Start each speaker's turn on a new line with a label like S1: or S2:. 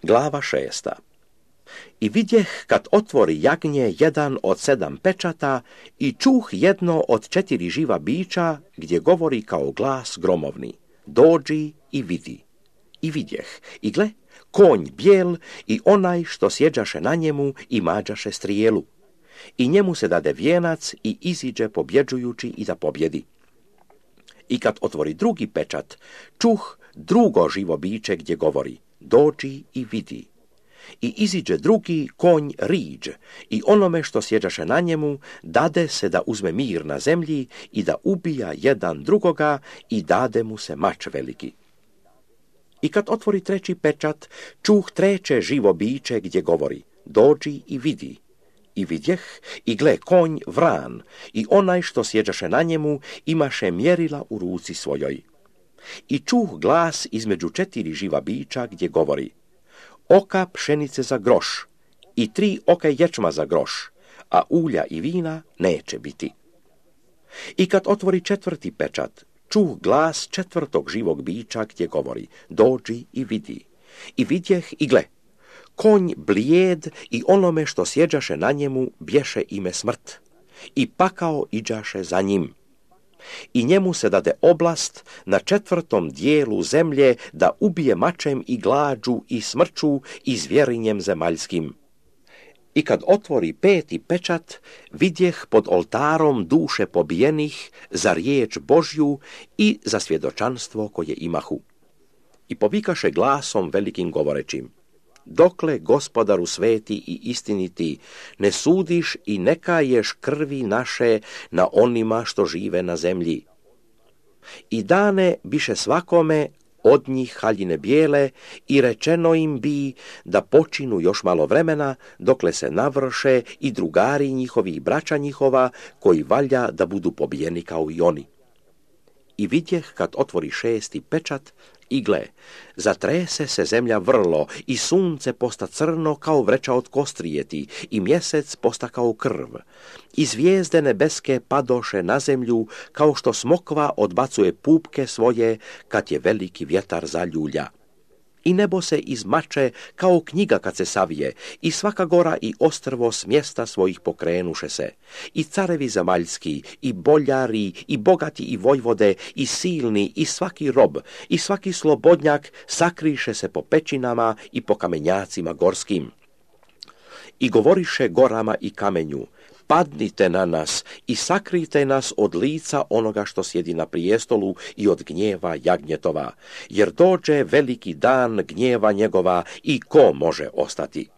S1: Glava 6. I vidjeh kad otvori jagnje jedan od 7 pečata i čuh jedno od 4 živa bića gdje govori kao glas gromovni: dođi i vidi. I vidjeh, i gle, konj bijel i onaj što sjeđaše na njemu i mađaše strijelu. I njemu se dade vijenac i iziđe pobjeđujući i da pobjedi. I kad otvori drugi pečat, čuh drugo živo biće gdje govori: dođi i vidi. I iziđe drugi konj riđ i onome što sjeđaše na njemu dade se da uzme mir na zemlji i da ubija jedan drugoga i dade mu se mač veliki. I kad otvori treći pečat, čuh treće živo biće gdje govori: dođi i vidi. I vidjeh, i gle, konj vran i onaj što sjeđaše na njemu imaše mjerila u ruci svojoj. I čuh glas između 4 živa bića gdje govori: oka pšenice za groš i 3 oka ječma za groš, a ulja i vina neće biti. I kad otvori četvrti pečat, čuh glas 4. živog bića gdje govori: dođi i vidi. I vidjeh, i gle, konj blijed i onome što sjeđaše na njemu bješe ime smrt. I pakao iđaše za njim. I njemu se dade oblast na 4. dijelu zemlje da ubije mačem i glađu i smrću i zvjerinjem zemaljskim. I kad otvori 5. pečat, vidjeh pod oltarom duše pobijenih za riječ Božju i za svjedočanstvo koje imahu. I povikaše glasom velikim govorećim: dokle, Gospodaru sveti i istiniti, ne sudiš i ne kaješ krvi naše na onima što žive na zemlji? I dane biše svakome od njih haljine bijele i rečeno im bi da počinu još malo vremena dokle se navrše i drugari njihovi i braća njihova koji valja da budu pobijeni kao i oni. I vidjeh kad otvori 6. pečat, i gle, zatrese se zemlja vrlo i sunce posta crno kao vreća od kostrijeti i mjesec posta kao krv. I zvijezde nebeske padoše na zemlju kao što smokva odbacuje pupke svoje kad je veliki vjetar zaljulja. I nebo se izmače kao knjiga kad se savije i svaka gora i ostrvo s mjesta svojih pokrenuše se. I carevi zemaljski, i boljari, i bogati, i vojvode, i silni, i svaki rob, i svaki slobodnjak sakriše se po pećinama i po kamenjacima gorskim. I govoriše gorama i kamenju: padnite na nas i sakrite nas od lica onoga što sjedi na prijestolu i od gnjeva jagnjetova, jer dođe veliki dan gnjeva njegova i ko može ostati?